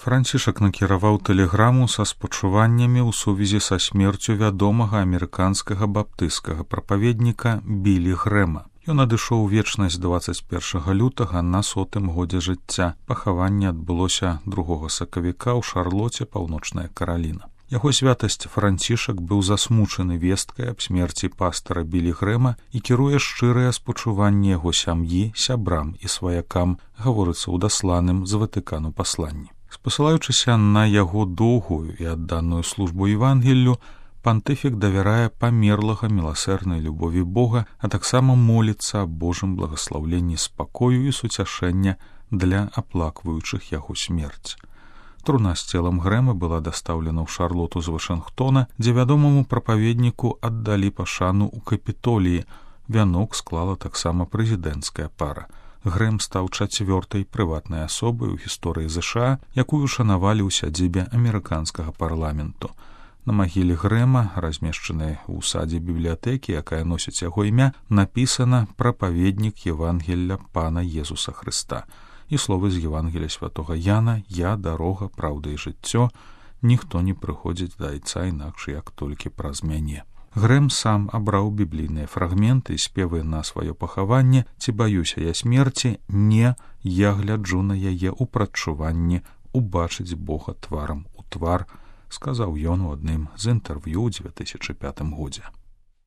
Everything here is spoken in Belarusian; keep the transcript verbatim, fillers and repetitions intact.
Францішак накіраваў тэлеграму са спачуваннямі ў сувязі са смерцю вядомага амерыканскага баптысцкага прапаведніка Білі Грэма. Ён адышоў у вечнасць дваццаць першага лютага на сотым годзе жыцця. Пахаванне адбылося другога сакавіка ў Шарлоце, Паўночная Караліна. Яго святасць Францішак быў засмучаны весткай аб смерці пастара Білі Грэма і кіруе шчырыя спачуванні яго сям'і, сябрам і сваякам, гаворыцца ў дасланым з Ватыкану пасланні. Спасылаючыся на яго доўгую і адданую службу Евангеллю, пантыфік давярае памерлага міласэрнай любові Бога, а таксама моліцца аб Божым благаслаўленні спакою і суцяшэння для аплакваючых яго смерць. Труна з целам Грэма была дастаўлена ў Шарлоту з Вашынгтона, дзе вядомаму прапаведніку аддалі пашану ў Капітоліі. Вянок склала таксама прэзідэнцкая пара. Грэм стаў чацвёртай прыватнай асобай у гісторыі ЗША, якую шанавалі ў сядзібе амерыканскага парламенту. На магіле Грэма, размешчанай у садзе бібліятэкі, якая носіць яго імя, напісана «Прапаведнік Евангелля Пана Езуса Хрыста». І словы з Евангелля святога Яна «Я, дарога, праўда і жыццё, ніхто не прыходзіць да Айца інакш, як толькі праз мяне». Грэм сам абраў біблійныя фрагменты і спевы на сваё пахаванне «Ці баюся я смерці? Не, я гляджу на яе ў прадчуванні, убачыць Бога тварам у твар», сказаў ён у адным з інтэрв'ю ў дзве тысячы пятым годзе.